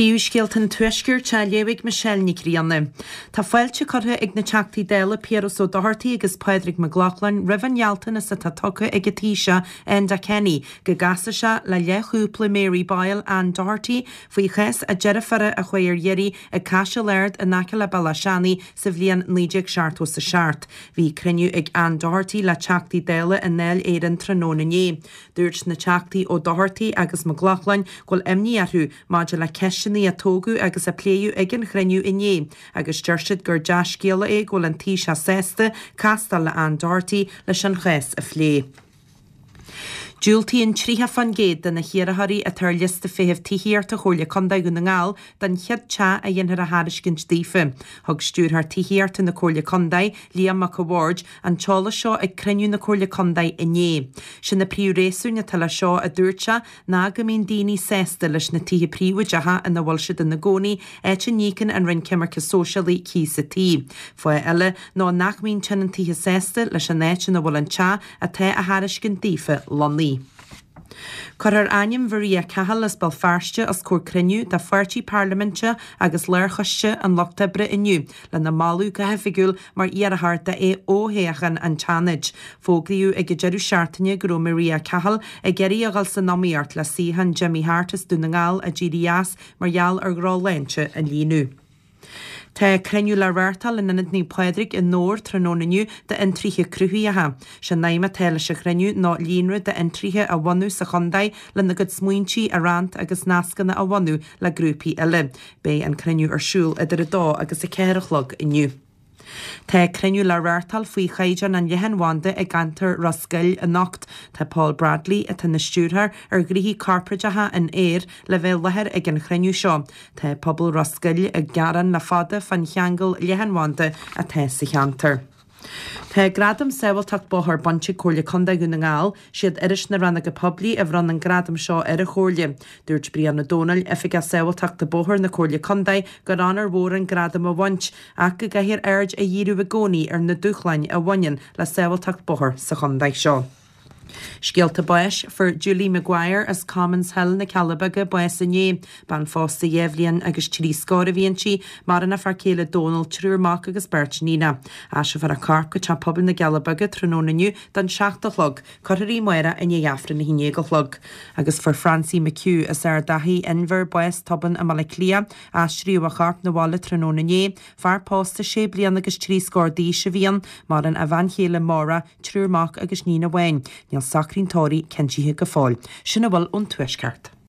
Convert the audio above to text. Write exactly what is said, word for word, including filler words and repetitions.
Príomhscéalta an Tuaiscirt á léamh ag Michelle Nic Grianna. Tá fáilte curtha ag na Teachtaí Dála Piaras Ó Dochartaigh agus Pádraig Mac Lochlainn roimh an ghealltanas atá tugtha ag an Taoiseach Enda Kenny go gcasfaidh sé le leathchúpla Mary Boyle Anne Doherty faoi chás a deirfiúra a chuaigh ar iarraidh ag Caiseal Ard in aice le Béal Átha Seanaidh sa bhliain naoi déag seachtó is a seacht. Bhí cruinniú ag Anne Doherty le Teachtaí Dála i nDáil Éireann tráthnóna inné. Dúirt na Teachtaí Ó Dochartaigh agus Mac Lochlainn go bhfuil imní orthu maidir le ceisteanna a tógadh agus a pléadh ag an chruinniú inné, agus deir siad gur dea-scéala é go bhfuil an Taoiseach sásta castáil le Anne Doherty leis an chás a phlé. Diúltaíonn tríocha faoin gcéad de na hiarrthóirí atá ar liosta feithimh tithíochta Chomhairle Contae Dhún na nGall don chéad teach a dhéanfar a thairiscint daofa. Thug Stiúrthóir Tithíochta na Comhairle Contae, Liam Mac a' Bhaird, an t-eolas seo ag cruinniú na Comhairle Contae inné. Sé na príomhréasúin atá leis seo, a dúirt sé, ná go mbíonn daoine sásta leis na tithe príobháideacha ina bhfuil siad ina gcónaí, áit a n-íocann an Roinn Coimirce Sóisialaí cíos an tí. Fáth eile ná nach mbíonn tionóntaithe sásta leis an áit ina bhfuil an teach atá á thairiscint daofa lonnaithe. Cuirfear ainm Mharia Cahill as Béal Feirste os comhair cruinniú de pháirtí parlaiminte agus lárchoiste an Lucht Oibre inniu lena moladh go hoifigiúil mar iarrthóir d'fhothoghchán an tSeanaid. Fógraíodh ag an deireadh seachtaine go raibh Maria Cahill ag iarraidh a dhul san iomaíocht le suíochán Jimmy Hart as Dún na nGall a d'éirigh as mar gheall ar dhrochshláinte a líonadh. Tá cruinniú le reáchtáil in Ionad Naomh Pádraig i nDobhar tráthnóna inniu d'fhiontraithe cruthaitheacha. Sé an aidhm atá leis an chruinniú ná líonra d'fhiontraithe a bhunú sa chontae lena gcuid smaointí a roinnt agus nascanna a bhunú le grúpaí eile. Beidh an cruinniú ar siúl idir a dó agus a ceathair a chlog inniu. Tá cruinniú le reáchtáil faoi chaighdeán an leathanbhanda i gceantar Ros Goill anocht. Tá Paul Bradley, atá ina stiúrthóir ar ghnoithí corparáideacha in Eir, le bheith i láthair ag an chruinniú seo. Tá pobal Ros Goill ag gearán le fada fán cheangal leathanbhanda atá sa cheantar. Tá Gradam Sábháilteacht Bóthair bainte ag Comhairle Contae Dhún na nGall. Siad Iris na Rannóige Poiblí a bhronn an gradam seo ar an Chomhairle. Dúirt Brian Ó Dónaill, Oifigeach Sábháilteachta Bóthair na Comhairle Contae, gur onóir mhór an gradam a bhaint, ach go gcaithfear aird a dhíriú i gcónaí ar na dúshláin a bhaineann le sábháilteacht bóthair sa chontae seo. Scéalta báis, Fuair Julie Maguire as Commons Hill, na Cealla Beaga, bás inné. Bean phósta dhá bhliain agus trí scór a bhí inti, maireann a fear céile Dónal, triúr mac agus beirt níonach. Aistreofar a corp go Teach Pobail na gCealla Beaga tráthnóna inniu don seacht a chlog. Cuirfear í amárach i ndiaidh Aifreann a haon déag a chlog. Agus fuair Francie McHugh as Ard Achaidh, Inbhir, bás tobann i mBaile Átha Cliath. Aistríodh a chorp 'na bhaile tráthnóna inné. Fear pósta sé bliana agus trí scór d'aois a bhí ann. Maireann a bhean chéile Máire, triúr mac agus níon amháin. Níl socraí an tórraimh cinntithe go fóill. Sin a bhfuil ón Tuaisceart.